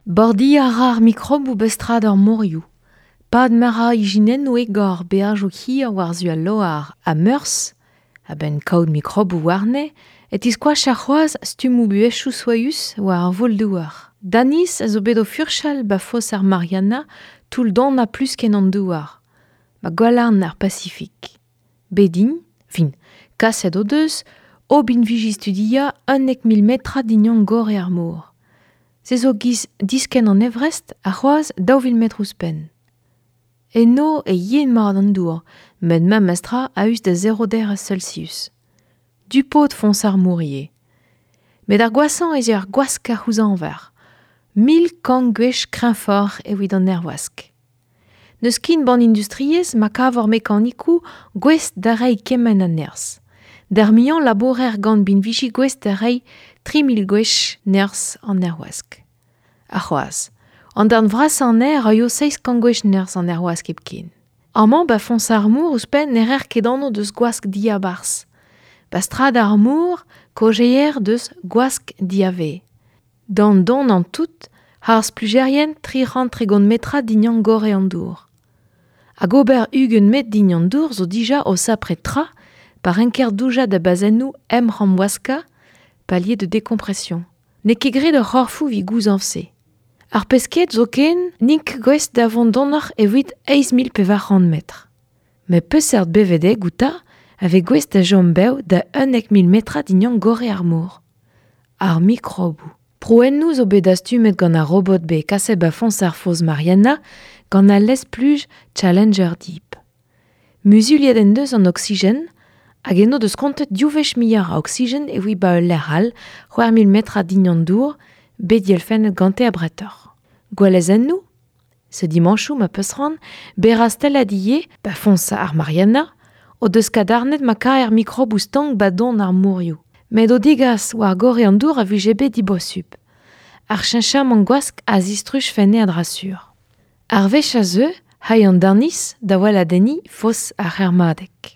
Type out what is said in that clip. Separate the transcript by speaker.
Speaker 1: Bordiñ a ra ar mikroboù ba strad ar morioù. Pad ma ra ijinennoù egor beajoù hir war-zu al loar ha Meurzh, a-benn kaout mikroboù warne, e tiskoacha c'hoazh stummoù buhezioù soaüs war ar voul-douar. Danis a zo bet o furchal ba foz ar Mariana toull donañ pluskenn an douar, ba gwalarn ar Pasifik. Bet int, fin, kaset o deus, o binviji studiañ 11 000 metrad dindan gorre ar mor. Se zo giz diskenn an Everest ha c'hoazh 2000 metr ouzhpenn. Eno e yen mat an dour, met memestra a-us da zero derez Celsius. Du-paotr foñs ar mor ivez. Met ar gwashañ ez eo ar gwask a c'houzañver. 1100 gwech kreñvoc'h evit an aerwask. N'eus ken ban industriezh ma kavor mekanikoù gouest da reiñ kement a nerzh. D'ar muiañ labourer gant binviji gouest da reiñ 3000 gwech nerzh an aerwask. Ha c'hoazh, an darn vrasañ anezhe a raio 700 gwech nerzh an aerwask hepken. Amañ ba foñs ar mor ouzhpenn ne reer ket anv deus gwask diabarzh. Ba strad ar mor kaozeer deus gwask diavaez. D'an donañ tout, ar splujerien 330 metrad dindan gorre an dour. Hag ober 20 metr dindan dour zo dija o sapre tra pa renker doujañ da bazennoù emc'hamwaskañ, palier de décompression. N'eo ket graet hor c'horfoù evit gouzañv se. Ar pesked zoken n'int ket gouest da vont donoc'h evit 8400 metr. Met peseurt bevedeg outañ a vez gouest da chom bev da 11 000 metrad dindan gorre ar mor? Ar mikroboù. Prouennoù zo bet dastumet gant ar robot bet kaset ba foñs ar foz Mariana gant al lestr-spluj Challenger Deep. Muzuliet en deus an oksigen hag eno deus kontet div wech muioc'h a oksigen evit ba ul lec'h all, 6000 metrad dindan dour, bet dielfennet gante abretoc'h. Gouelezennoù, se dimanchoù ma peus c'hoant, bet rastellet ivez ba foñs ar Mariana, o deus kadarnet ma kaer mikroboù stank ba don ar morioù. Met o degas war gorre an dour a vije bet dibosupl. Ar cheñchamant gwask a zistruj fenne a-dra-sur. Ar wech a zeu, hay an Danis da weladenniñ foz ar C'hermadeg.